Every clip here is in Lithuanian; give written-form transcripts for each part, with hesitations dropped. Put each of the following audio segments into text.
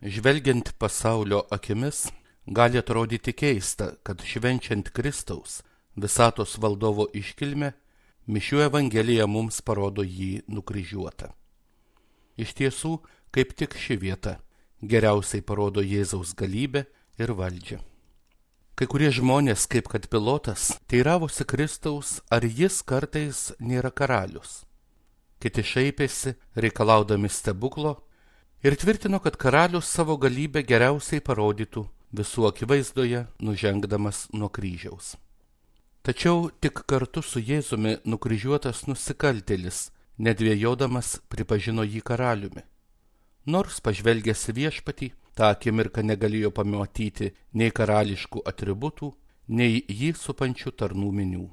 Žvelgiant pasaulio akimis, gali atrodyti keista, kad švenčiant Kristaus, visatos valdovo iškilmę, mišių evangelija mums parodo jį nukryžiuotą. Iš tiesų, kaip tik ši vieta geriausiai parodo Jėzaus galybę ir valdžią. Kai kurie žmonės, kaip kad Pilotas, teiravosi Kristaus, ar jis kartais nėra karalius. Kiti šaipėsi, reikalaudami stebuklo, ir tvirtino, kad karalius savo galybę geriausiai parodytų visų akivaizdoje, nužengdamas nuo kryžiaus. Tačiau tik kartu su Jėzumi nukryžiuotas nusikaltėlis, nedvėjodamas, pripažino jį karaliumi. Nors pažvelgęs į Viešpatį, tą akimirką negalėjo pamatyti nei karališkų atributų, nei jį supančių tarnų minių.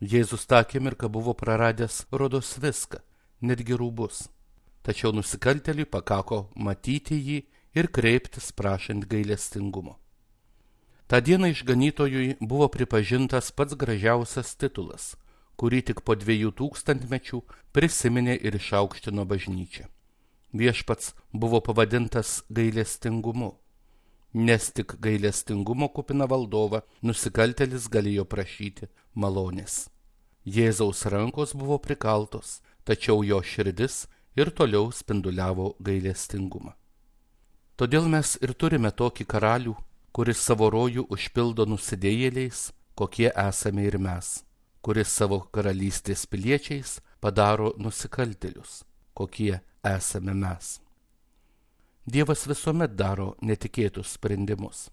Jėzus tą akimirką buvo praradęs rodos viską, netgi rūbus. Tačiau nusikaltėliui pakako matyti jį ir kreiptis prašant gailestingumo. Ta diena išganytojui buvo pripažintas pats gražiausias titulas, kurį tik po 2000 mečių prisiminė ir išaukštino bažnyčia. Viešpats buvo pavadintas gailestingumu, nes tik gailestingumo kupina valdovą nusikaltėlis galėjo prašyti malonės. Jėzaus rankos buvo prikaltos, tačiau jo širdis ir toliau spinduliavo gailestingumą. Todėl mes ir turime tokį karalių, kuris savo rojų užpildo nusidėjėliais, kokie esame ir mes, kuris savo karalystės piliečiais padaro nusikaltėlius, kokie esame mes. Dievas visuomet daro netikėtus sprendimus.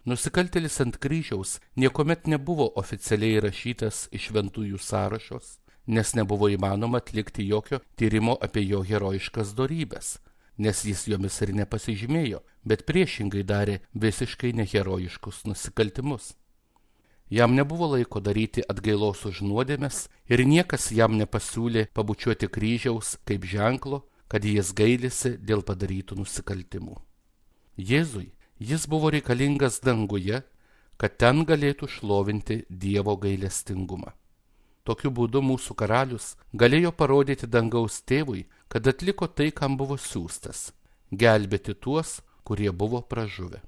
Nusikaltėlis ant kryžiaus niekuomet nebuvo oficialiai įrašytas į šventųjų sąrašus, nes nebuvo įmanoma atlikti jokio tyrimo apie jo herojiškas dorybes, nes jis jomis ir nepasižymėjo, bet priešingai darė visiškai neherojiškus nusikaltimus. Jam nebuvo laiko daryti atgailos už nuodėmes ir niekas jam nepasiūlė pabučiuoti kryžiaus kaip ženklo, kad jis gailisi dėl padarytų nusikaltimų. Jėzui jis buvo reikalingas danguje, kad ten galėtų šlovinti Dievo gailestingumą. Tokiu būdu mūsų karalius galėjo parodyti dangaus tėvui, kad atliko tai, kam buvo siųstas – gelbėti tuos, kurie buvo pražuvę.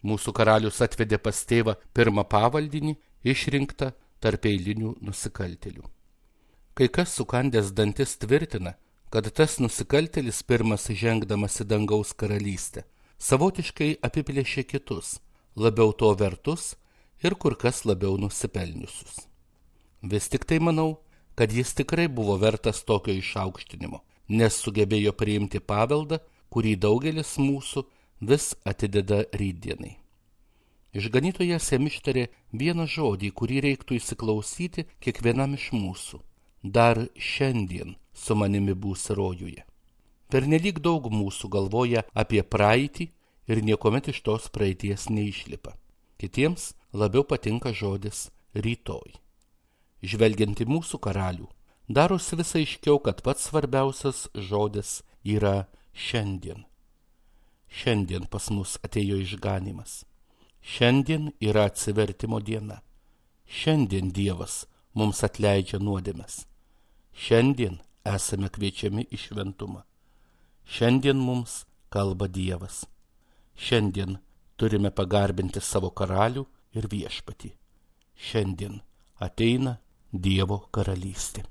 Mūsų karalius atvedė pas tėvą pirmą pavaldinį, išrinktą tarp eilinių nusikaltėlių. Kai kas sukandęs dantis tvirtina, kad tas nusikaltėlis pirmas žengdamas į dangaus karalystę savotiškai apiplėšė kitus, labiau to vertus ir kur kas labiau nusipelniusius. Vis tik tai manau, kad jis tikrai buvo vertas tokio išaukštinimo, nes sugebėjo priimti paveldą, kurį daugelis mūsų vis atideda rytdienai. Išganytojas jam ištarė vieną žodį, kurį reiktų įsiklausyti kiekvienam iš mūsų. Dar šiandien su manimi būsi rojuje. Pernelyg daug mūsų galvoja apie praeitį ir niekuomet iš tos praeities neišlipa. Kitiems labiau patinka žodis rytoj. Žvelgiant į mūsų karalių, darosi vis aiškiau, kad pats svarbiausias žodis yra šiandien. Šiandien pas mus atėjo išganymas. Šiandien yra atsivertimo diena. Šiandien Dievas mums atleidžia nuodėmes. Šiandien esame kviečiami į šventumą. Šiandien mums kalba Dievas. Šiandien turime pagarbinti savo karalių ir Viešpatį. Šiandien ateina Dievo karalystė.